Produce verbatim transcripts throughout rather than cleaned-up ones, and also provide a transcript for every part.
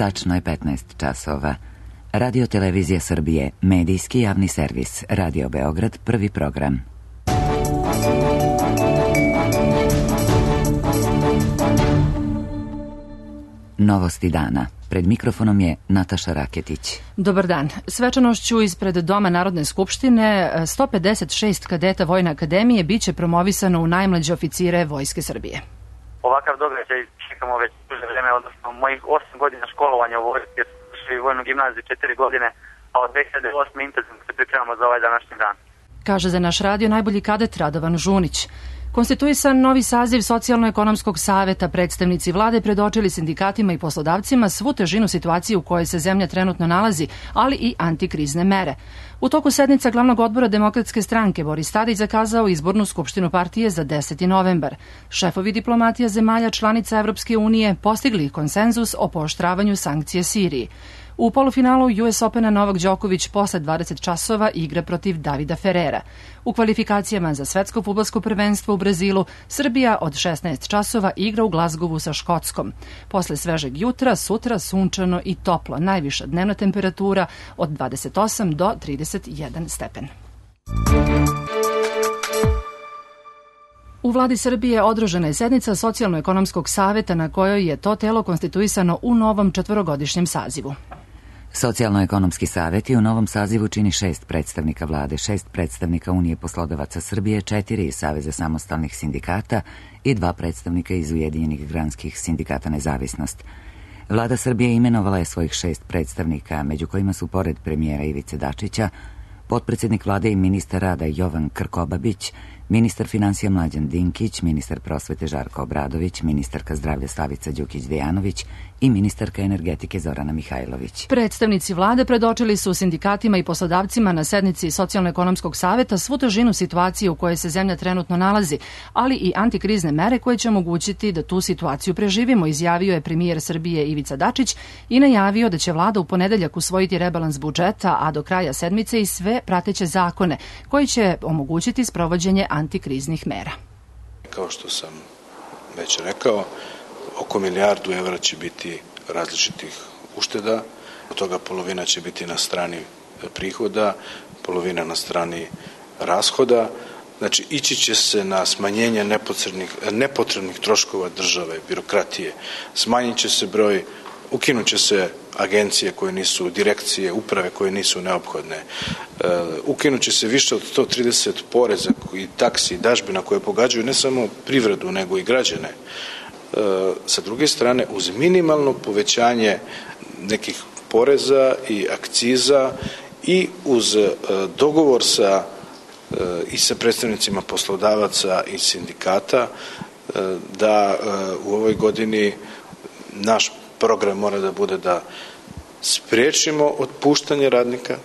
Tačno je petnaest časova. Radio Televizija Srbije, medijski javni servis, Radio Beograd, prvi program. Novosti dana. Pred mikrofonom je Nataša Raketić. Dobar dan. Svečanošću ispred Doma Narodne skupštine sto pedeset šest kadeta Vojne akademije biće promovisano u najmlađe oficire Vojske Srbije. Ovakav događaj čekamo već duže vreme, odnosno mojih osam godina školovanja u vojske, u vojnu gimnaziju četiri godine, a od dve hiljade osme intenzivno se pripremamo za ovaj današnji dan. Kaže za naš radio najbolji kadet Radovan Žunić. Konstituisan novi saziv Socijalno-ekonomskog saveta, predstavnici vlade predočili sindikatima i poslodavcima svu težinu situacije u kojoj se zemlja trenutno nalazi, ali i antikrizne mere. U toku sednica glavnog odbora Demokratske stranke Boris Tadić zakazao izbornu skupštinu partije za deseti novembar. Šefovi diplomatija zemalja članica Evropske unije postigli konsenzus o pooštravanju sankcije Siriji. U polufinalu U S Opena Novak Đoković posle dvadeset časova igra protiv Davida Ferrera. U kvalifikacijama za svetsko fudbalsko prvenstvo u Brazilu Srbija od šesnaest časova igra u Glazgovu sa Škotskom. Posle svežeg jutra, sutra sunčano i toplo, najviša dnevna temperatura od dvadeset osam do trideset jedan stepen. U vladi Srbije održana je sednica Socijalno-ekonomskog saveta na kojoj je to telo konstituisano u novom četvorogodišnjem sazivu. Socijalno-ekonomski savet u novom sazivu čini šest predstavnika vlade, šest predstavnika Unije poslodavaca Srbije, četiri iz Saveza samostalnih sindikata i dva predstavnika iz Ujedinjenih granskih sindikata Nezavisnost. Vlada Srbije imenovala je svojih šest predstavnika, među kojima su pored premijera Ivice Dačića, potpredsjednik vlade i ministar rada Jovan Krkobabić, ministar finansija Mlađan Dinkić, ministar prosvete Žarko Obradović, ministarka zdravlja Slavica Đukić-Dejanović i ministarka energetike Zorana Mihajlović. Predstavnici vlade predočili su sindikatima i poslodavcima na sednici Socijalno-ekonomskog saveta svu težinu situacije u kojoj se zemlja trenutno nalazi, ali i antikrizne mere koje će omogućiti da tu situaciju preživimo, izjavio je premijer Srbije Ivica Dačić i najavio da će vlada u ponedeljak usvojiti rebalans budžeta, a do kraja sedmice i sve prateće zakone koji će omogućiti sprovođenje antikriznih mera. Kao što sam već rekao, oko milijardu evra će biti različitih ušteda, od toga polovina će biti na strani prihoda, polovina na strani rashoda. Znači, ići će se na smanjenje nepotrebnih, nepotrebnih troškova države, birokratije, smanjit će se broj, ukinut će se agencije koje nisu, direkcije, uprave koje nisu neophodne. Uh, ukinut će se više od sto trideset poreza i taksi i dažbina koje pogađaju ne samo privredu nego i građane. Uh, sa druge strane, uz minimalno povećanje nekih poreza i akciza i uz uh, dogovor sa, uh, i sa predstavnicima poslodavaca i sindikata uh, da uh, u ovoj godini naš program mora da bude da spriječimo otpuštanje radnika,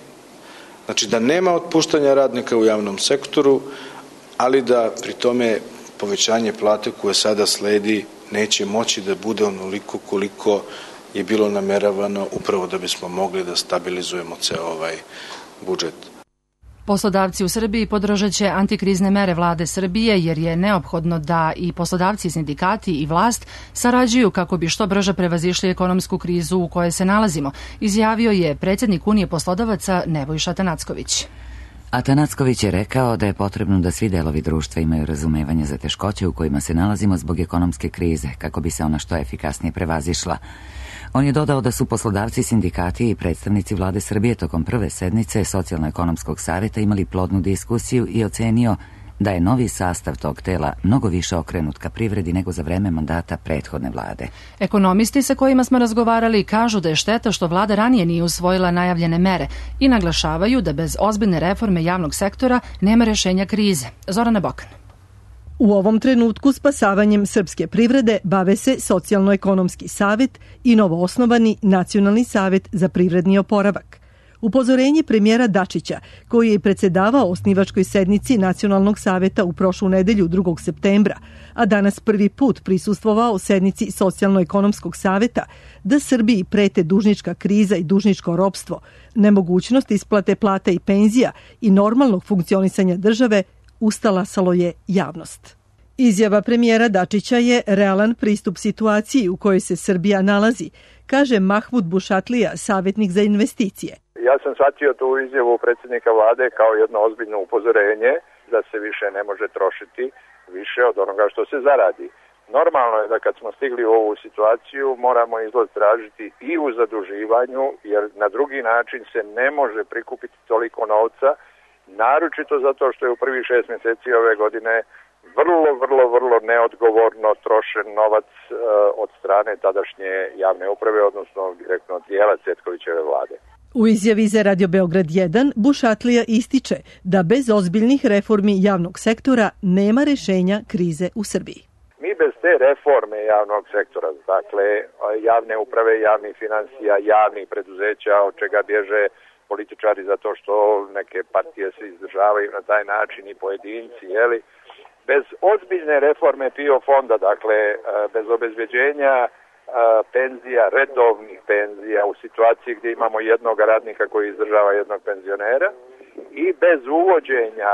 znači da nema otpuštanja radnika u javnom sektoru, ali da pri tome povećanje plate koje sada sledi neće moći da bude onoliko koliko je bilo nameravano upravo da bismo mogli da stabilizujemo ceo ovaj budžet. Poslodavci u Srbiji podržat će antikrizne mere vlade Srbije jer je neophodno da i poslodavci, sindikati i vlast sarađuju kako bi što brže prevazišli ekonomsku krizu u kojoj se nalazimo, izjavio je predsjednik Unije poslodavaca Nebojša Atanacković. Atanacković je rekao da je potrebno da svi delovi društva imaju razumevanje za teškoće u kojima se nalazimo zbog ekonomske krize, kako bi se ona što efikasnije prevazišla. On je dodao da su poslodavci, sindikati i predstavnici vlade Srbije tokom prve sednice Socijalno-ekonomskog saveta imali plodnu diskusiju i ocenio da je novi sastav tog tela mnogo više okrenut ka privredi nego za vreme mandata prethodne vlade. Ekonomisti sa kojima smo razgovarali kažu da je šteta što vlada ranije nije usvojila najavljene mere i naglašavaju da bez ozbiljne reforme javnog sektora nema rešenja krize. Zorana Bokan. U ovom trenutku spasavanjem srpske privrede bave se Socijalno-ekonomski savet i novoosnovani Nacionalni savet za privredni oporavak. Upozorenje premijera Dačića, koji je predsedavao osnivačkoj sednici Nacionalnog saveta u prošlu nedelju drugog septembra, a danas prvi put prisustvovao sednici Socijalno-ekonomskog saveta, da Srbiji prete dužnička kriza i dužničko ropstvo, nemogućnost isplate plata i penzija i normalnog funkcionisanja države, ustalasalo je javnost. Izjava premijera Dačića je realan pristup situaciji u kojoj se Srbija nalazi, kaže Mahmud Bušatlija, savjetnik za investicije. Ja sam shvatio tu izjavu predsjednika vlade kao jedno ozbiljno upozorenje da se više ne može trošiti više od onoga što se zaradi. Normalno je da kad smo stigli u ovu situaciju moramo izlaz tražiti i u zaduživanju, jer na drugi način se ne može prikupiti toliko novca, naročito zato što je u prvih šest mjeseci ove godine vrlo, vrlo, vrlo neodgovorno trošen novac e, od strane tadašnje javne uprave, odnosno direktno dijela Cvetkovićeve vlade. U izjavi za Radio Beograd jedan Bušatlija ističe da bez ozbiljnih reformi javnog sektora nema rešenja krize u Srbiji. Mi bez te reforme javnog sektora, dakle javne uprave, javnih financija, javnih preduzeća, od čega bježe političari zato što neke partije se izdržavaju na taj način i pojedinci, jeli, bez ozbiljne reforme P I O fonda, dakle bez obezbeđenja penzija, redovnih penzija u situaciji gdje imamo jednog radnika koji izdržava jednog penzionera i bez uvođenja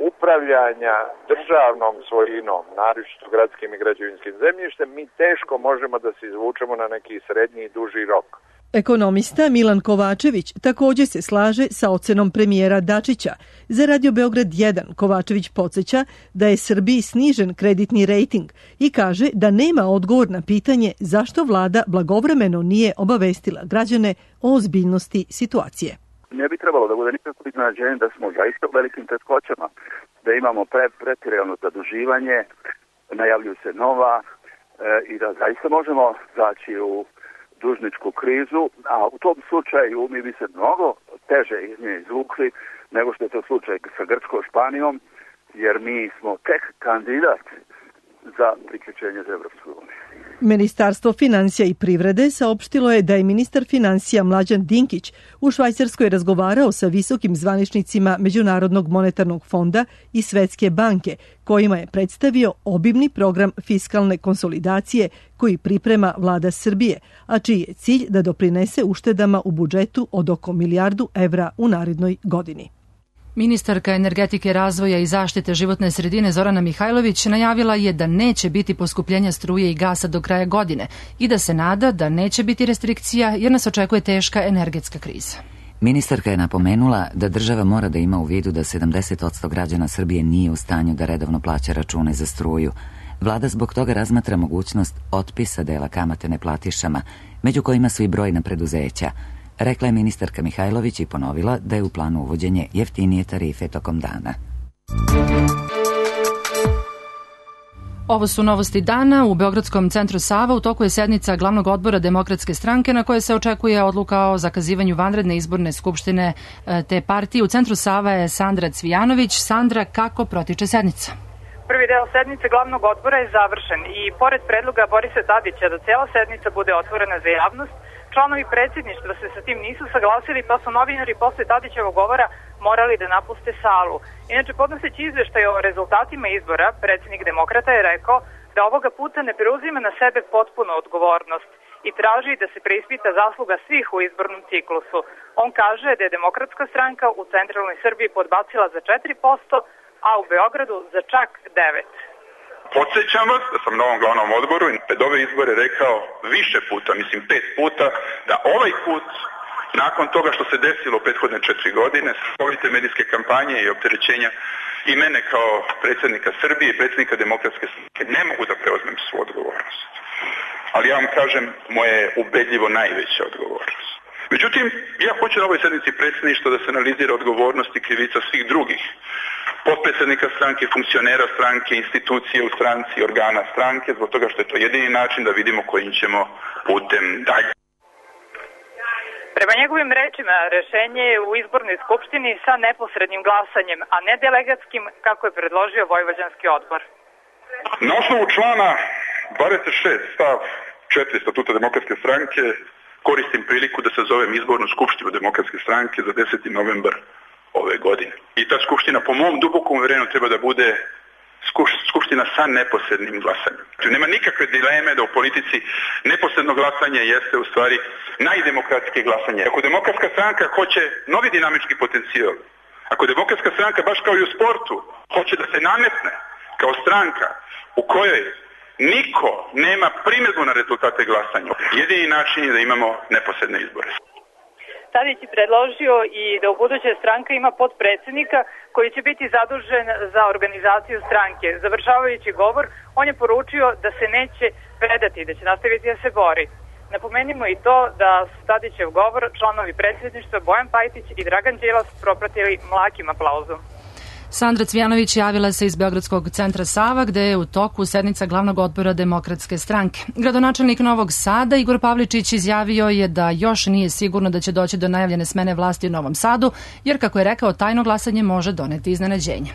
upravljanja državnom svojinom, naročito gradskim i građevinskim zemljištem, mi teško možemo da se izvučemo na neki srednji i duži rok. Ekonomista Milan Kovačević također se slaže sa ocenom premijera Dačića. Za Radio Beograd jedan Kovačević podsjeća da je Srbiji snižen kreditni rejting i kaže da nema odgovor na pitanje zašto vlada blagovremeno nije obavestila građane o ozbiljnosti situacije. Ne bi trebalo da bude nikako iznenađenje da smo zaista u velikim teškoćama, da imamo pre, pretjerano zaduživanje, najavljuju se nova e, i da zaista možemo zaći u dužničku krizu, a u tom slučaju mi bi se mnogo teže iz nje izvukli nego što je to slučaj sa Grčkom, Španijom, jer mi smo tek kandidat za priključenje za Evropsku uniju. Ministarstvo financija i privrede saopštilo je da je ministar financija Mlađan Dinkić u Švajcarskoj razgovarao sa visokim zvaničnicima Međunarodnog monetarnog fonda i Svetske banke, kojima je predstavio obimni program fiskalne konsolidacije koji priprema vlada Srbije, a čiji je cilj da doprinese uštedama u budžetu od oko milijardu evra u narednoj godini. Ministarka energetike, razvoja i zaštite životne sredine Zorana Mihajlović najavila je da neće biti poskupljenja struje i gasa do kraja godine i da se nada da neće biti restrikcija jer nas očekuje teška energetska kriza. Ministarka je napomenula da država mora da ima u vidu da sedamdeset posto građana Srbije nije u stanju da redovno plaća račune za struju. Vlada zbog toga razmatra mogućnost otpisa dela kamate neplatišama, među kojima su i brojna preduzeća. Rekla je ministarka Mihajlović i ponovila da je u planu uvođenje jeftinije tarife tokom dana. Ovo su novosti dana. U Beogradskom centru Sava u toku je sednica glavnog odbora Demokratske stranke na kojoj se očekuje odluka o zakazivanju vanredne izborne skupštine te partije. U centru Sava je Sandra Cvijanović. Sandra, kako protiče sednica? Prvi deo sednice glavnog odbora je završen i pored predloga Borisa Tadića da cela sednica bude otvorena za javnost, članovi predsjedništva se sa tim nisu saglasili, pa su novinari posle Tadićevog govora morali da napuste salu. Inače, podnoseći izveštaj o rezultatima izbora, predsjednik Demokrata je rekao da ovoga puta ne preuzima na sebe potpuno odgovornost i traži da se preispita zasluga svih u izbornom ciklusu. On kaže da je Demokratska stranka u centralnoj Srbiji podbacila za četiri posto, a u Beogradu za čak devet posto. Podsjećam vas da sam na ovom glavnom odboru i pred ove izbore rekao više puta, mislim pet puta, da ovaj put, nakon toga što se desilo prethodne četiri godine, strahovite medijske kampanje i opterećenja i mene kao predsjednika Srbije i predsjednika Demokratske stranke, ne mogu da preuzmem svu odgovornost. Ali ja vam kažem, moja je ubedljivo najveća odgovornost. Međutim, ja hoću na ovoj sednici predsjedništva da se analizira odgovornost i krivica svih drugih potpredsjednika stranke, funkcionera stranke, institucije u stranci, organa stranke, zbog toga što je to jedini način da vidimo kojim ćemo putem dalje. Prema njegovim rečima, rešenje je u izbornoj skupštini sa neposrednim glasanjem, a ne delegatskim, kako je predložio Vojvođanski odbor. Na osnovu člana dvadeset šest stav četiri Statuta Demokratske stranke koristim priliku da sazovem izbornu skupštinu Demokratske stranke za deseti novembar ove godine. I ta skupština, po mom dubokom uverenju, treba da bude skupština sa neposrednim glasanjem. Znači, nema nikakve dileme da u politici neposredno glasanje jeste u stvari najdemokratske glasanje. Ako Demokratska stranka hoće novi dinamički potencijal, ako Demokratska stranka, baš kao i u sportu, hoće da se nametne, kao stranka u kojoj niko nema primjedbu na rezultate glasanja, jedini način je da imamo neposredne izbore. Tadić je predložio i da u buduće stranka ima potpredsjednika koji će biti zadužen za organizaciju stranke. Završavajući govor, on je poručio da se neće predati, da će nastaviti da se bori. Napomenimo i to da su Tadićev govor članovi predsjedništva Bojan Pajtić i Dragan Đilas propratili mlakim aplauzom. Sandra Cvijanović javila se iz Beogradskog centra Sava, gde je u toku sednica glavnog odbora Demokratske stranke. Gradonačelnik Novog Sada Igor Pavličić izjavio je da još nije sigurno da će doći do najavljene smene vlasti u Novom Sadu, jer, kako je rekao, tajno glasanje može doneti iznenađenje.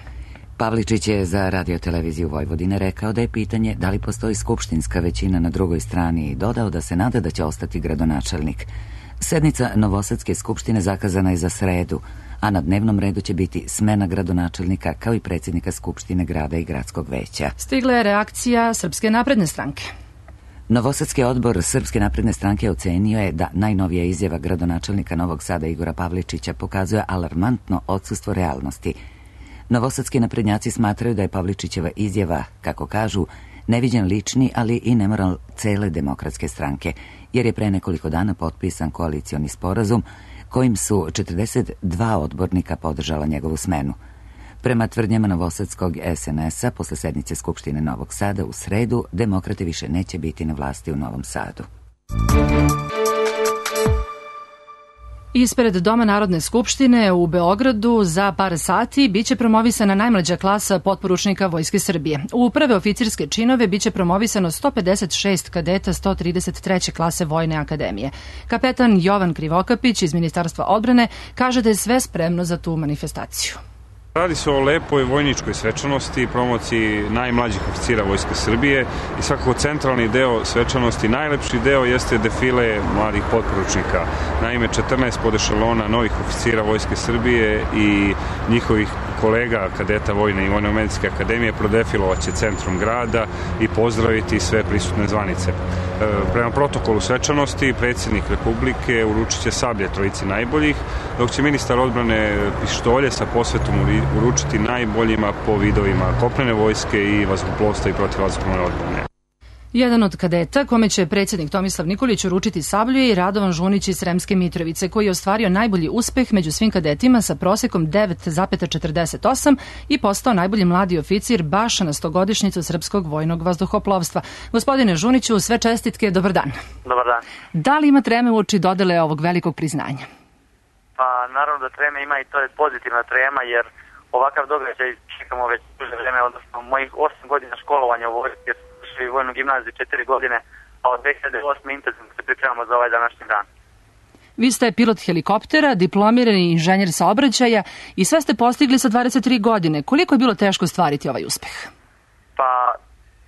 Pavličić je za radioteleviziju Vojvodine rekao da je pitanje da li postoji skupštinska većina na drugoj strani i dodao da se nada da će ostati gradonačelnik. Sednica Novosadske skupštine zakazana je za sredu, a na dnevnom redu će biti smena gradonačelnika kao i predsjednika Skupštine grada i gradskog veća. Stigla je reakcija Srpske napredne stranke. Novosadski odbor Srpske napredne stranke ocenio je da najnovija izjava gradonačelnika Novog Sada Igora Pavličića pokazuje alarmantno odsustvo realnosti. Novosadski naprednjaci smatraju da je Pavličićeva izjava, kako kažu, neviđen lični, ali i nemoral cele Demokratske stranke, jer je pre nekoliko dana potpisan koalicioni sporazum kojim su četrdeset dva odbornika podržala njegovu smenu. Prema tvrdnjama novosadskog es en es-a, posle sednice Skupštine Novog Sada u sredu, demokrate više neće biti na vlasti u Novom Sadu. Ispred Doma Narodne skupštine u Beogradu za par sati biće promovisana najmlađa klasa potporučnika Vojske Srbije. U prve oficirske činove biće promovisano sto pedeset šest kadeta sto trideset treće klase Vojne akademije. Kapetan Jovan Krivokapić iz Ministarstva odbrane kaže da je sve spremno za tu manifestaciju. Radi se o lepoj vojničkoj svečanosti, promociji najmlađih oficira Vojske Srbije i svakako centralni deo svečanosti, najlepši deo jeste defile mladih potporučnika. Naime, četrnaest podešalona novih oficira Vojske Srbije i njihovih kolega kadeta Vojne i Vojno-medicinske akademije prodefilovaće centrom grada i pozdraviti sve prisutne zvanice. Prema protokolu svečanosti, predsjednik Republike uručit će sablje trojici najboljih, dok će ministar odbrane pištolje sa posvetom uručiti najboljima po vidovima kopnene vojske i vazduhoplovstva i protivvazdušne odbrane. Jedan od kadeta, kome će predsjednik Tomislav Nikolić uručiti sablju, je i Radovan Žunić iz Sremske Mitrovice, koji je ostvario najbolji uspeh među svim kadetima sa prosekom devet zarez četrdeset osam i postao najbolji mladi oficir baš na stogodišnjicu srpskog vojnog vazduhoplovstva. Gospodine Žuniću, sve čestitke, dobar dan. Dobar dan. Da li ima treme uoči dodele ovog velikog priznanja? Pa naravno da treme ima i to je pozitivna trema, jer ovakav događaj čekamo već duže vreme, odnosno mojih osam godina školovanja u vojsci, u vojnu gimnaziju četiri godine, a od dve hiljade osme intenzivno se pripremamo za ovaj današnji dan. Vi ste pilot helikoptera, diplomirani inženjer saobraćaja i sve ste postigli sa dvadeset tri godine. Koliko je bilo teško ostvariti ovaj uspeh? Pa,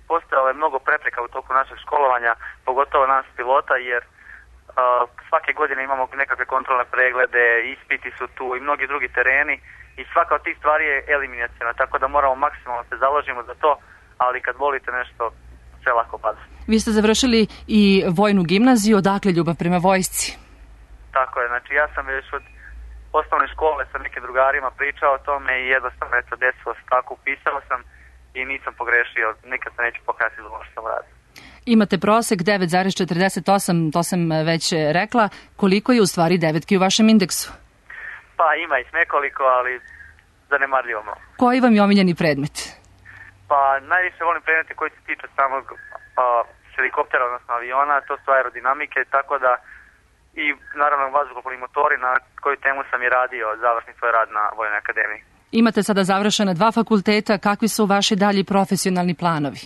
postojalo je mnogo prepreka u toku našeg školovanja, pogotovo nas pilota, jer uh, svake godine imamo nekakve kontrolne preglede, ispiti su tu i mnogi drugi tereni i svaka od tih stvari je eliminacijona, tako da moramo maksimalno se založimo za to, ali kad volite nešto, sve lako pada. Vi ste završili i vojnu gimnaziju, odakle ljubav prema vojsci? Tako je, znači ja sam već od osnovne škole sa nekim drugarima pričao o tome i jednostavno eto desilo se tako, upisao sam i nisam pogrešio, nikad se neću pokazati za ono što sam radio. Imate prosek devet zarez četrdeset osam, to sam već rekla. Koliko je u stvari devetki u vašem indeksu? Pa ima ih nekoliko, ali zanemarljivo malo. Koji vam je omiljeni predmet? Pa najviše volim predmete koji se tiču samog a, helikoptera, odnosno aviona, to su aerodinamike, tako da i naravno vazduhoplovni motori, na koju temu sam i radio, završni svoj rad na Vojnoj akademiji. Imate sada završena dva fakulteta, kakvi su vaši dalji profesionalni planovi?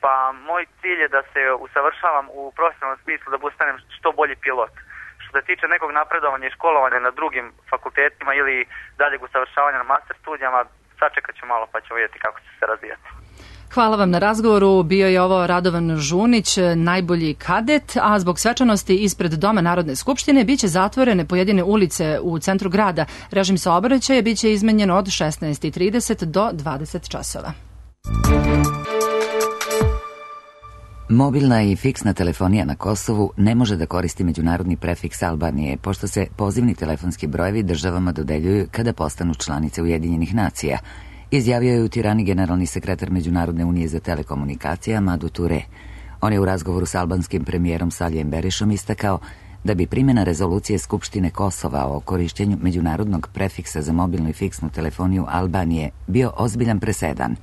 Pa moj cilj je da se usavršavam u profesionalnom smislu, da postanem što bolji pilot. Što se tiče nekog napredovanja i školovanja na drugim fakultetima ili daljeg usavršavanja na master studijama, sačekat ću malo pa ćemo vidjeti kako će se razvijati. Hvala vam na razgovoru. Bio je ovo Radovan Žunić, najbolji kadet, a zbog svečanosti ispred Doma Narodne skupštine biće zatvorene pojedine ulice u centru grada. Režim saobraćaja biće izmenjen od šesnaest i trideset do dvadeset časova. Mobilna i fiksna telefonija na Kosovu ne može da koristi međunarodni prefiks Albanije, pošto se pozivni telefonski brojevi državama dodeljuju kada postanu članice Ujedinjenih nacija izjavio je u Tirani generalni sekretar Međunarodne unije za telekomunikacije Amadou Touré. On je u razgovoru s albanskim premijerom Salijem Berišom istakao da bi primjena rezolucije Skupštine Kosova o korišćenju međunarodnog prefiksa za mobilnu i fiksnu telefoniju Albanije bio ozbiljan presedan.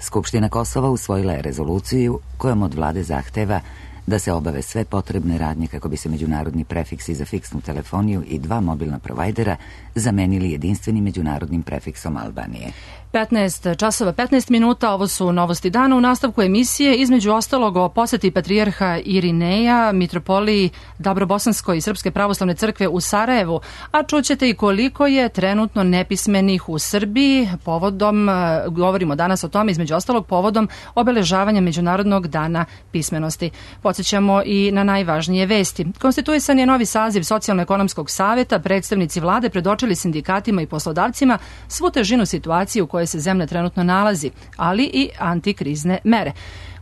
Skupština Kosova usvojila je rezoluciju kojom od vlade zahteva da se obave sve potrebne radnje kako bi se međunarodni prefiksi za fiksnu telefoniju i dva mobilna provajdera zamenili jedinstvenim međunarodnim prefiksom Albanije. petnaest časova petnaest minuta, ovo su novosti dana. U nastavku emisije, između ostalog, o poseti patrijarha Irineja, mitropoliji Dabrobosanskoj i Srpske pravoslavne crkve u Sarajevu, a čućete i koliko je trenutno nepismenih u Srbiji. Povodom, govorimo danas o tome, između ostalog, povodom obeležavanja Međunarodnog dana pismenosti. Podsjećamo i na najvažnije vesti. Konstituisan je novi saziv Socijalno-ekonomskog saveta, predstavnici vlade predočili sindikatima i poslodavcima svu težinu situacije u kojoj se zemlja trenutno nalazi, ali i antikrizne mere.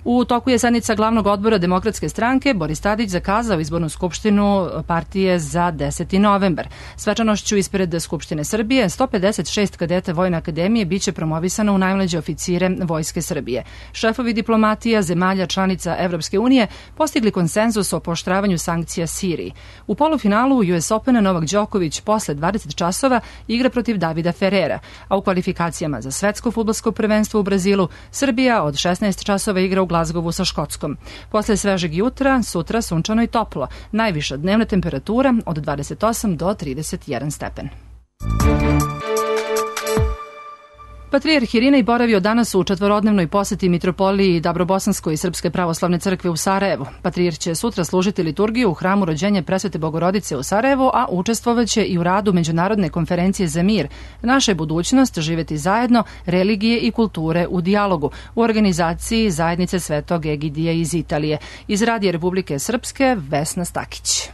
U toku je sednica glavnog odbora Demokratske stranke. Boris Tadić zakazao izbornu skupštinu partije za deseti novembar. Svečanošću ispred Skupštine Srbije sto pedeset šest kadeta Vojne akademije biće promovisano u najmlađe oficire Vojske Srbije. Šefovi diplomatija zemalja članica Evropske unije postigli konsenzus o pooštravanju sankcija Siriji. U polufinalu U S Opena Novak Đoković posle dvadeset časova igra protiv Davida Ferrera, a u kvalifikacijama za svetsko fudbalsko prvenstvo u Brazilu Srbija od šesnaest časova igra u Glazgovu sa Škotskom. Posle svežeg jutra, sutra sunčano i toplo. Najviša dnevna temperatura od dvadeset osam do trideset jedan stepen. Patrijarh Irinej boravio danas u četvorodnevnoj poseti mitropoliji Dabrobosanskoj i Srpske pravoslavne crkve u Sarajevu. Patrijarh će sutra služiti liturgiju u hramu Rođenja Presvete Bogorodice u Sarajevu, a učestvovaće i u radu Međunarodne konferencije za mir. Naša je budućnost živjeti zajedno, religije i kulture u dijalogu, u organizaciji Zajednice Svetog Egidija iz Italije. Iz Radija Republike Srpske, Vesna Stakić.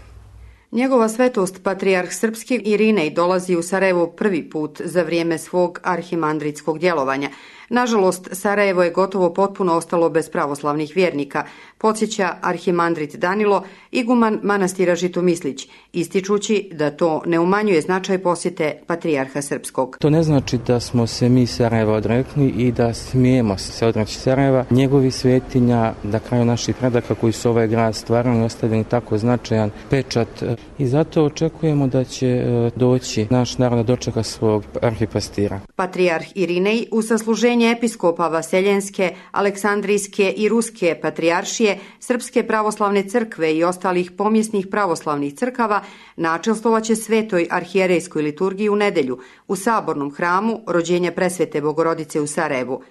Njegova svetost, patrijarh srpski Irinej, dolazi u Sarajevo prvi put za vrijeme svog arhimandritskog djelovanja. Nažalost, Sarajevo je gotovo potpuno ostalo bez pravoslavnih vjernika, podsjeća arhimandrit Danilo, iguman manastira Žitomislić, ističući da to ne umanjuje značaj posjete patrijarha srpskog. To ne znači da smo se mi Sarajeva odrekli i da smijemo se odreći Sarajeva. Njegovi svetinja, na kraju naših predaka koji su ovaj grad stvarali, ostavljeni tako značajan pečat. I zato očekujemo da će doći naš narod da dočeka svog arhipastira. Patrijarh Irinej u sasluženje episkopa Vaseljenske, Aleksandrijske i Ruske patrijaršije, Srpske pravoslavne crkve i ostalih pomjesnih pravoslavnih crkava načelstovaće svetoj arhijerejskoj liturgiji u nedelju u sabornom hramu Rođenja Presvete Bogorodice u Sarajevu.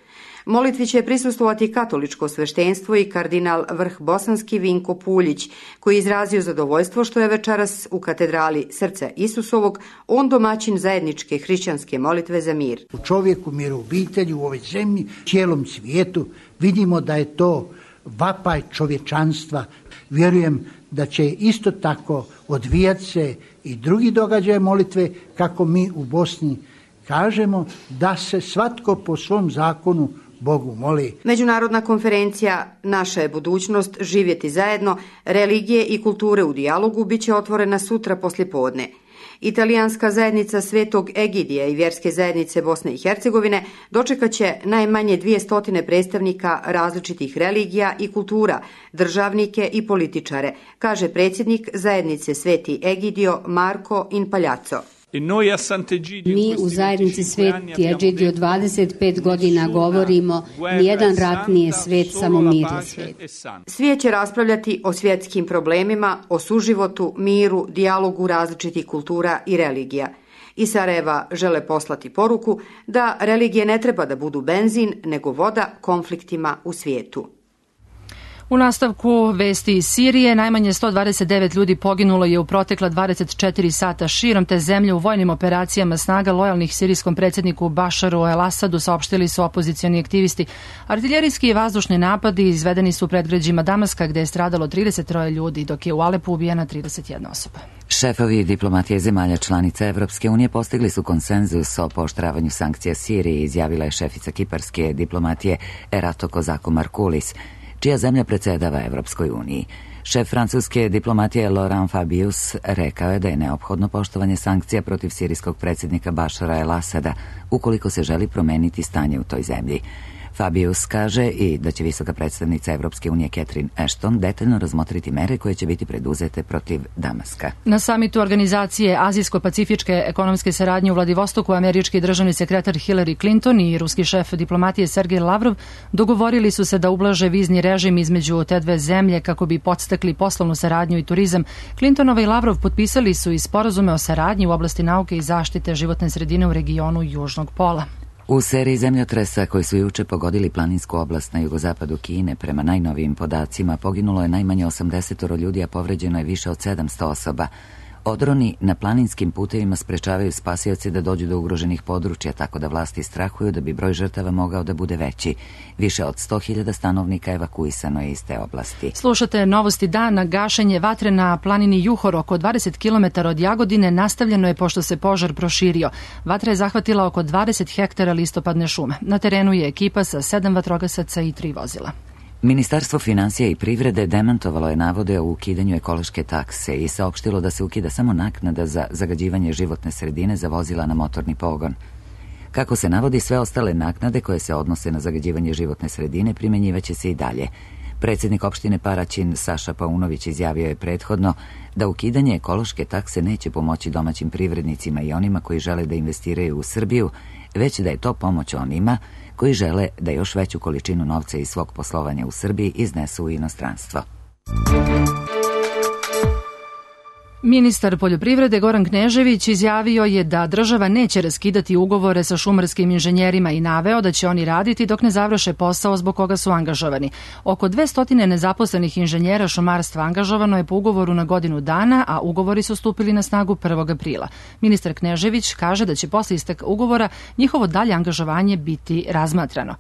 Molitvi će prisustvovati katoličko sveštenstvo i kardinal vrh bosanski Vinko Puljić, koji je izrazio zadovoljstvo što je večeras u katedrali Srca Isusovog on domaćin zajedničke hrišćanske molitve za mir. U čovjeku, mir u obitelji, u ovoj zemlji, cijelom svijetu vidimo da je to vapaj čovječanstva. Vjerujem da će isto tako odvijati se i drugi događaje molitve, kako mi u Bosni kažemo, da se svatko po svom zakonu Bogu moli. Međunarodna konferencija Naša je budućnost živjeti zajedno, religije i kulture u dijalogu biće otvorena sutra poslijepodne. Italijanska zajednica Svetog Egidija i vjerske zajednice Bosne i Hercegovine dočekat će najmanje dvije stotine predstavnika različitih religija i kultura, državnike i političare, kaže predsjednik zajednice Sveti Egidio Marko Inpaljazzo. Mi u zajednici Sveti Egidio dvadeset pet godina govorimo, nijedan rat nije svet, samo mir je svet. Svijet će raspravljati o svjetskim problemima, o suživotu, miru, dijalogu različitih kultura i religija. Iz Sarajeva žele poslati poruku da religije ne treba da budu benzin, nego voda konfliktima u svijetu. U nastavku vesti iz Sirije, najmanje sto dvadeset devet ljudi poginulo je u protekla dvadeset četiri sata širom te zemlje u vojnim operacijama snaga lojalnih sirijskom predsjedniku Bašaru el-Asadu, saopštili su opozicioni aktivisti. Artiljerijski i vazdušni napadi izvedeni su u predgrađima Damaska, gde je stradalo trideset troje ljudi, dok je u Alepu ubijena trideset jedna osoba. Šefovi diplomatije zemalja članica Evropske unije postigli su konsenzus o pooštravanju sankcija Siriji, izjavila je šefica kiparske diplomatije Erato Kozako Markulis. čija zemlja predsedava Evropskoj uniji. Šef francuske diplomatije Laurent Fabius rekao je da je neophodno poštovanje sankcija protiv sirijskog predsjednika Bašara el-Asada ukoliko se želi promeniti stanje u toj zemlji. Fabius kaže i da će visoka predstavnica Evropske unije Catherine Ashton detaljno razmotriti mere koje će biti preduzete protiv Damaska. Na samitu organizacije Azijsko-pacifičke ekonomske saradnje u Vladivostoku američki državni sekretar Hillary Clinton i ruski šef diplomatije Sergej Lavrov dogovorili su se da ublaže vizni režim između te dve zemlje kako bi podstakli poslovnu saradnju i turizam. Clintonova i Lavrov potpisali su i sporazume o saradnji u oblasti nauke i zaštite životne sredine u regionu Južnog pola. U seriji zemljotresa koji su juče pogodili planinsku oblast na jugozapadu Kine, prema najnovijim podacima, poginulo je najmanje osamdeset ljudi, a povređeno je više od sedamsto osoba. Odroni na planinskim putevima sprečavaju spasioci da dođu do ugroženih područja, tako da vlasti strahuju da bi broj žrtava mogao da bude veći. Više od sto hiljada stanovnika evakuisano je iz te oblasti. Slušate novosti dana. Gašenje vatre na planini Juhor oko dvadeset kilometara od Jagodine nastavljeno je pošto se požar proširio. Vatra je zahvatila oko dvadeset hektara listopadne šume. Na terenu je ekipa sa sedam vatrogasaca i tri vozila. Ministarstvo finansija i privrede demantovalo je navode o ukidanju ekološke takse i saopštilo da se ukida samo naknada za zagađivanje životne sredine za vozila na motorni pogon. Kako se navodi, sve ostale naknade koje se odnose na zagađivanje životne sredine primenjivaće se i dalje. Predsjednik opštine Paraćin Saša Paunović izjavio je prethodno da ukidanje ekološke takse neće pomoći domaćim privrednicima i onima koji žele da investiraju u Srbiju, već da je to pomoć onima koji žele da još veću količinu novca iz svog poslovanja u Srbiji iznesu u inostranstvo. Ministar poljoprivrede Goran Knežević izjavio je da država neće raskidati ugovore sa šumarskim inženjerima i naveo da će oni raditi dok ne završe posao zbog koga su angažovani. Oko dvesta nezaposlenih inženjera šumarstva angažovano je po ugovoru na godinu dana, a ugovori su stupili na snagu prvog aprila. Ministar Knežević kaže da će posle isteka ugovora njihovo dalje angažovanje biti razmatrano.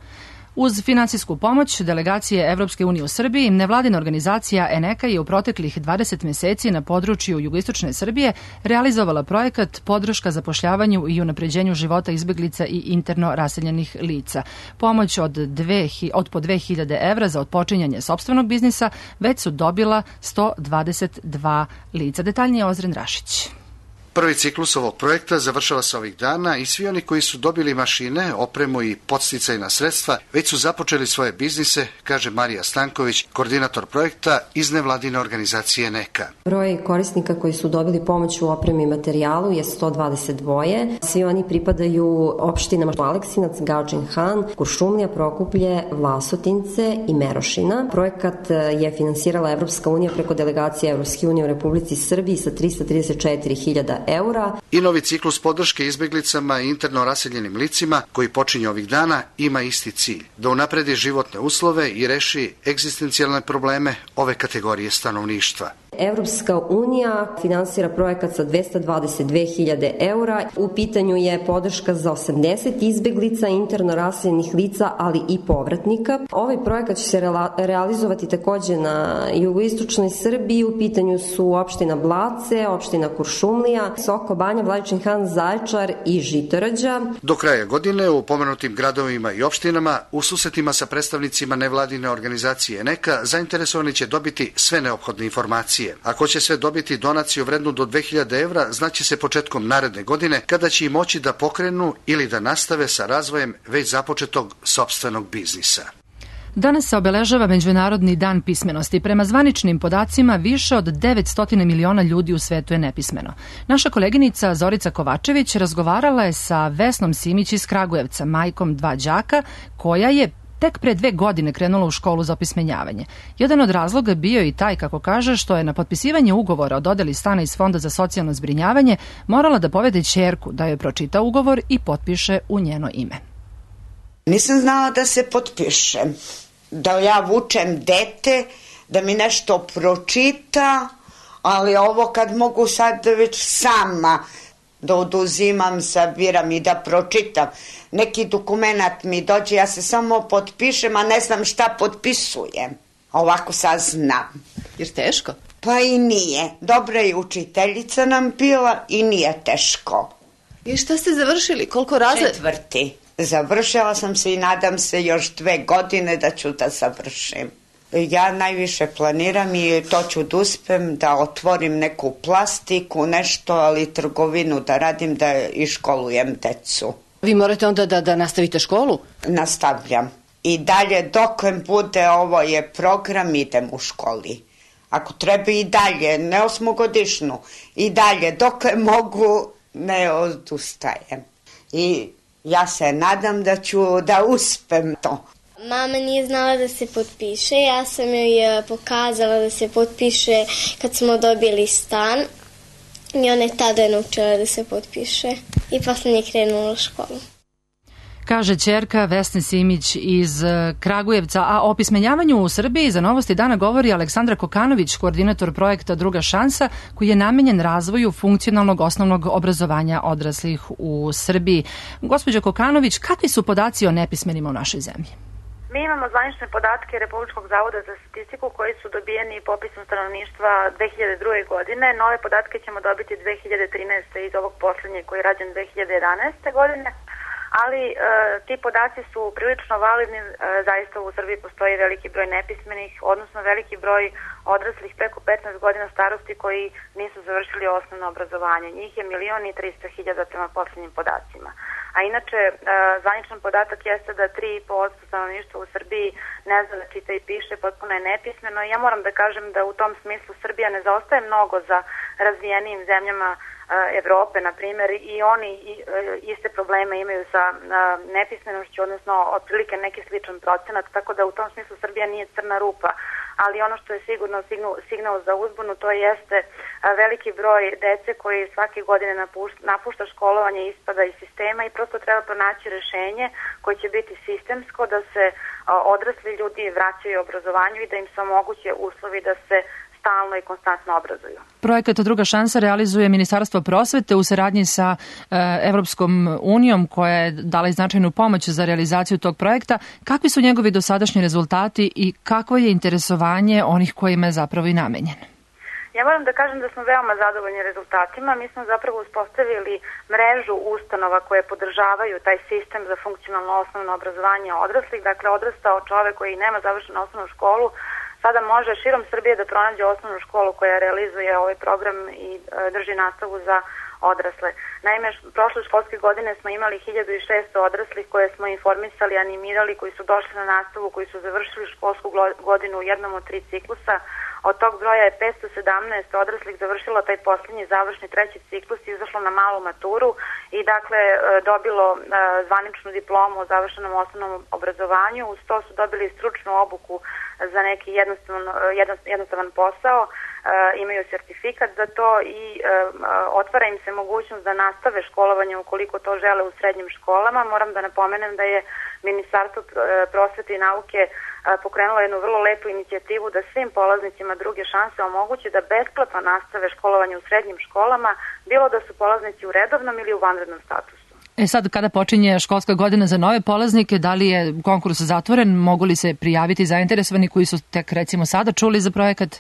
Uz finansijsku pomoć delegacije Evropske unije u Srbiji, nevladina organizacija Eneka je u proteklih dvadeset meseci na području jugoistočne Srbije realizovala projekat podrška zapošljavanju i unapređenju života izbeglica i interno raseljenih lica. Pomoć od, dve, od po dve hiljade evra za otpočinjanje sopstvenog biznisa već su dobila sto dvadeset dva lica. Detaljnije Ozren Rašić. Prvi ciklus ovog projekta završava se ovih dana i svi oni koji su dobili mašine, opremu i podsticajna sredstva već su započeli svoje biznise, kaže Marija Stanković, koordinator projekta iz nevladine organizacije Neka. Broj korisnika koji su dobili pomoć u opremi i materijalu je sto dvadeset dva. Svi oni pripadaju opštinama Aleksinac, Gadžin Han, Kuršumlija, Prokuplje, Vlasotince i Merošina. Projekat je finansirala Evropska unija preko delegacije Evropske unije u Republici Srbiji sa trista trideset četiri hiljade eura. I novi ciklus podrške izbeglicama i interno raseljenim licima koji počinje ovih dana ima isti cilj, da unapredi životne uslove i reši egzistencijalne probleme ove kategorije stanovništva. Evropska unija finansira projekat sa dvesta dvadeset dve hiljade eura. U pitanju je podrška za osamdeset izbeglica, interno raseljenih lica, ali i povratnika. Ovaj projekat će se realizovati takođe na jugoistočnoj Srbiji. U pitanju su opština Blace, opština Kuršumlija, Soko Banja, Vladičin Han, Zaječar i Žitorađa. Do kraja godine u pomenutim gradovima i opštinama u susretima sa predstavnicima nevladine organizacije Neka zainteresovani će dobiti sve neophodne informacije. Ako će sve dobiti donaciju vrednu do dve hiljade evra, znaće se početkom naredne godine kada će i moći da pokrenu ili da nastave sa razvojem već započetog sopstvenog biznisa. Danas se obeležava Međunarodni dan pismenosti. Prema zvaničnim podacima, više od devetsto miliona ljudi u svetu je nepismeno. Naša koleginica Zorica Kovačević razgovarala je sa Vesnom Simić iz Kragujevca, majkom dva đaka, koja je tek pre dve godine krenula u školu za opismenjavanje. Jedan od razloga bio i taj, kako kaže, što je na potpisivanje ugovora o dodeli stana iz Fonda za socijalno zbrinjavanje morala da povede ćerku da joj pročita ugovor i potpiše u njeno ime. Nisam znala da se potpišem, da ja vučem dete, da mi nešto pročita, ali ovo kad mogu sad već sama da oduzimam, sabiram i da pročitam. Neki dokumenat mi dođe, ja se samo potpišem, a ne znam šta potpisujem. Ovako sad znam. Jer teško? Pa i nije. Dobra je učiteljica nam bila i nije teško. I šta ste završili? Koliko razred? Četvrti. Završila sam se i nadam se još dve godine da ću da završim. Ja najviše planiram i to ću da uspem da otvorim neku plastiku, nešto, ali trgovinu da radim, da iškolujem decu. Vi morate onda da, da nastavite školu? Nastavljam. I dalje, dok bude ovo je program, idem u školi. Ako treba i dalje, ne osmogodišnu, i dalje, dok mogu, ne odustajem. I ja se nadam da ću da uspem to. Mama nije znala da se potpiše, ja sam joj pokazala da se potpiše kad smo dobili stan i ona je tada naučila da se potpiše i posle nije krenula u školu. Kaže ćerka Vesne Simić iz Kragujevca, a o opismenjavanju u Srbiji za Novosti dana govori Aleksandra Kokanović, koordinator projekta Druga šansa, koji je namenjen razvoju funkcionalnog osnovnog obrazovanja odraslih u Srbiji. Gospođo Kokanović, kakvi su podaci o nepismenima u našoj zemlji? Mi imamo zvanične podatke Republičkog zavoda za statistiku koji su dobijeni popisom stanovništva dve hiljade druge. godine. Nove podatke ćemo dobiti dve hiljade trinaeste. iz ovog poslednjeg koji je rađen dve hiljade jedanaeste. godine. Ali e, ti podaci su prilično validni, e, zaista u Srbiji postoji veliki broj nepismenih, odnosno veliki broj odraslih preko petnaest godina starosti koji nisu završili osnovno obrazovanje. Njih je milion i trista hiljada prema poslednjim podacima. A inače, e, zvaničan podatak jeste da tri i po posto stanovništva u Srbiji ne zna da čita i piše, potpuno je nepismeno. I ja moram da kažem da u tom smislu Srbija ne zaostaje mnogo za razvijenijim zemljama Evrope, na primjer, i oni iste probleme imaju sa nepismenošću, odnosno otprilike neki sličan procenat, tako da u tom smislu Srbija nije crna rupa. Ali ono što je sigurno signal za uzbunu, to jeste veliki broj dece koji svake godine napušta školovanje i ispada iz sistema i prosto treba pronaći rešenje koje će biti sistemsko, da se odrasli ljudi vraćaju obrazovanju i da im se omoguće uslovi da se stalno i konstantno obrazuju. Projekat Druga šansa realizuje Ministarstvo prosvete u saradnji sa Evropskom unijom koja je dala i značajnu pomoć za realizaciju tog projekta. Kakvi su njegovi dosadašnji rezultati i kakvo je interesovanje onih kojima je zapravo i namenjen? Ja moram da kažem da smo veoma zadovoljni rezultatima. Mi smo zapravo uspostavili mrežu ustanova koje podržavaju taj sistem za funkcionalno osnovno obrazovanje odraslih. Dakle, odrastao čovek koji nema završenu osnovnu školu sada može širom Srbije da pronađe osnovnu školu koja realizuje ovaj program i e, drži nastavu za odrasle. Naime, prošle školske godine smo imali hiljadu šesto odraslih koje smo informisali, animirali, koji su došli na nastavu, koji su završili školsku godinu u jednom od tri ciklusa. Od tog broja je petsto sedamnaest odraslih završilo taj posljednji završni treći ciklus i izašlo na malu maturu i dakle dobilo zvaničnu diplomu o završenom osnovnom obrazovanju. Uz to su dobili stručnu obuku za neki jednostavan, jednostavan posao, imaju sertifikat za to i otvara im se mogućnost da nastave školovanje ukoliko to žele u srednjim školama. Moram da napomenem da je Ministarstvo prosvete i nauke pokrenulo jednu vrlo lepu inicijativu da svim polaznicima druge šanse omogući da besplatno nastave školovanje u srednjim školama, bilo da su polaznici u redovnom ili u vanrednom statusu. E sad, kada počinje školska godina za nove polaznike, da li je konkurs zatvoren, mogu li se prijaviti zainteresovani koji su tek recimo sada čuli za projekat?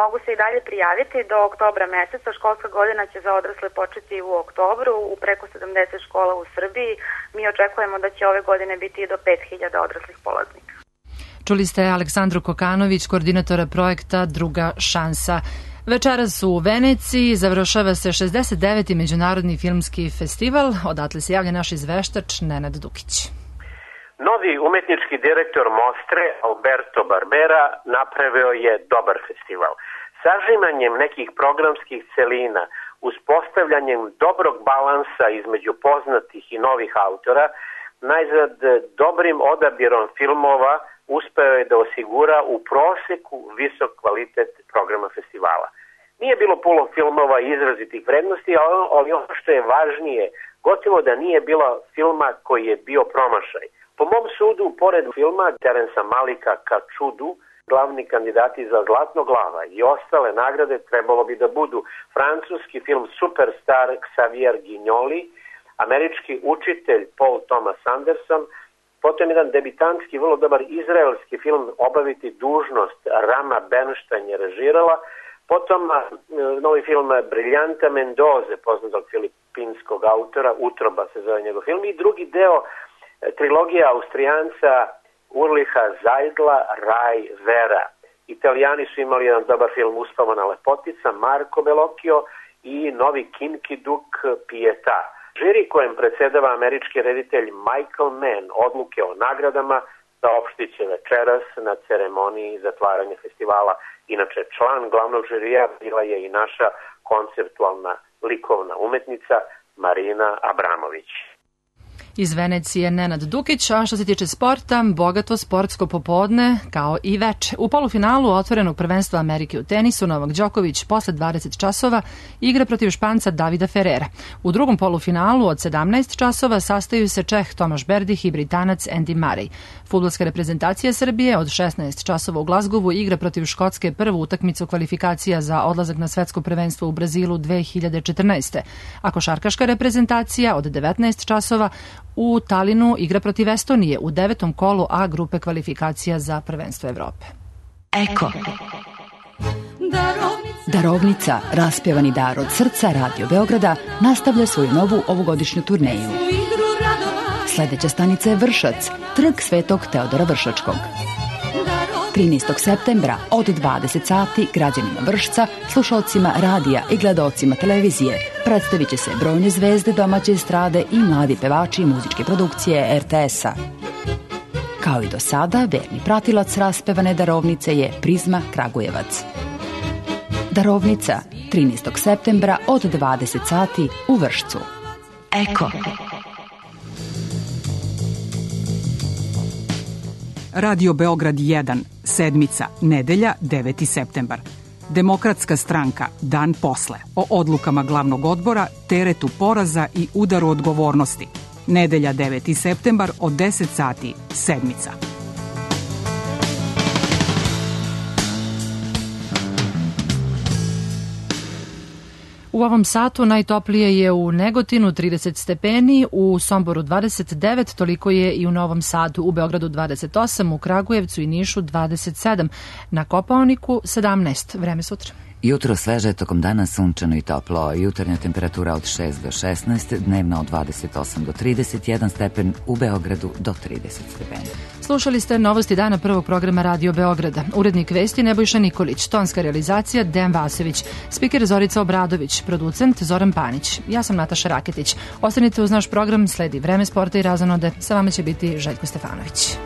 Mogu se i dalje prijaviti do oktobra meseca. Školska godina će za odrasle početi u oktobru u preko sedamdeset škola u Srbiji. Mi očekujemo da će ove godine biti i do pet hiljada odraslih polaznika. Čuli ste Aleksandru Kokanović, koordinatora projekta Druga šansa. Večeras u Veneciji završava se šezdeset deveti Međunarodni filmski festival. Odatle se javlja naš izveštač Nenad Dukić. Novi umetnički direktor Mostre, Alberto Barbera, napravio je dobar festival. Sažimanjem nekih programskih celina, uspostavljanjem dobrog balansa između poznatih i novih autora, najzad dobrim odabirom filmova uspeo je da osigura u proseku visok kvalitet programa festivala. Nije bilo puno filmova izrazitih vrednosti, ali ono što je važnije, gotovo da nije bilo filma koji je bio promašaj. Po mom sudu, pored filma Terensa Malika Ka čudu, glavni kandidati za Zlatno glava i ostale nagrade trebalo bi da budu francuski film Superstar Xavier Guignoli, američki učitelj Paul Thomas Anderson, potom jedan debitantski, vrlo dobar izraelski film Obaviti dužnost Rama Bernstein je režirala, potom novi film Briljanta Mendoze, poznatog filipinskog autora, Utroba se zove njegov film, i drugi deo trilogija Austrijanca Urliha Zajdla, Raj Vera. Italijani su imali jedan dobar film Uspavana lepotica, Marco Bellocchio i novi Kinky Duk Pietà. Žiri kojem predsedava američki reditelj Michael Mann odluke o nagradama saopštit će večeras na ceremoniji zatvaranja festivala. Inače, član glavnog žirija bila je i naša konceptualna likovna umetnica Marina Abramović. Iz Venecije Nenad Dukić, a što se tiče sporta, bogato sportsko popodne kao i veče. U polufinalu otvorenog prvenstva Amerike u tenisu Novak Đoković posle dvadeset časova igra protiv Španca Davida Ferrera. U drugom polufinalu od sedamnaest časova sastaju se Čeh Tomaš Berdih i Britanac Andy Murray. Fudbalska reprezentacija Srbije od šesnaest časova u Glazgovu igra protiv Škotske prvu utakmicu kvalifikacija za odlazak na svetsko prvenstvo u Brazilu dve hiljade četrnaeste. A košarkaška reprezentacija od devetnaest časova u Talinu igra protiv Estonije u devetom kolu A grupe kvalifikacija za prvenstvo Evrope. Eko. Darovnica, raspjevani dar od srca Radio Beograda, nastavlja svoju novu ovogodišnju turneju. Sledeća stanica je Vršac, trg Svetog Teodora Vršačkog. trinaestog septembra od dvadeset sati građanima Vršca, slušalcima radija i gledaocima televizije predstavit će se brojne zvezde domaće estrade i mladi pevači muzičke produkcije R T S-a. Kao i do sada, verni pratilac raspevane darovnice je Prizma Kragujevac. Darovnica, trinaestog septembra od dvadeset sati u Vršcu. Eko. Radio Beograd jedan, sedmica, nedelja, deveti septembar. Demokratska stranka, dan posle, o odlukama glavnog odbora, teretu poraza i udaru odgovornosti. Nedelja, deveti septembar, od deset sati, sedmica. U ovom satu najtoplije je u Negotinu trideset stepeni, u Somboru dvadeset devet, toliko je i u Novom Sadu, u Beogradu dvadeset osam, u Kragujevcu i Nišu dvadeset sedam, na Kopaoniku sedamnaest. Vreme sutra. Jutro sveže, tokom dana sunčano i toplo. Jutarnja temperatura od šest do šesnaest, dnevna od dvadeset osam do trideset jedan stepen, u Beogradu do trideset stepeni. Slušali ste novosti dana prvog programa Radio Beograda. Urednik vesti Nebojša Nikolić, tonska realizacija Dejan Vasović, spiker Zorica Obradović, producent Zoran Panić. Ja sam Nataša Raketić. Ostanite uz naš program, sledi Vreme sporta i razonode. Sa vama će biti Željko Stefanović.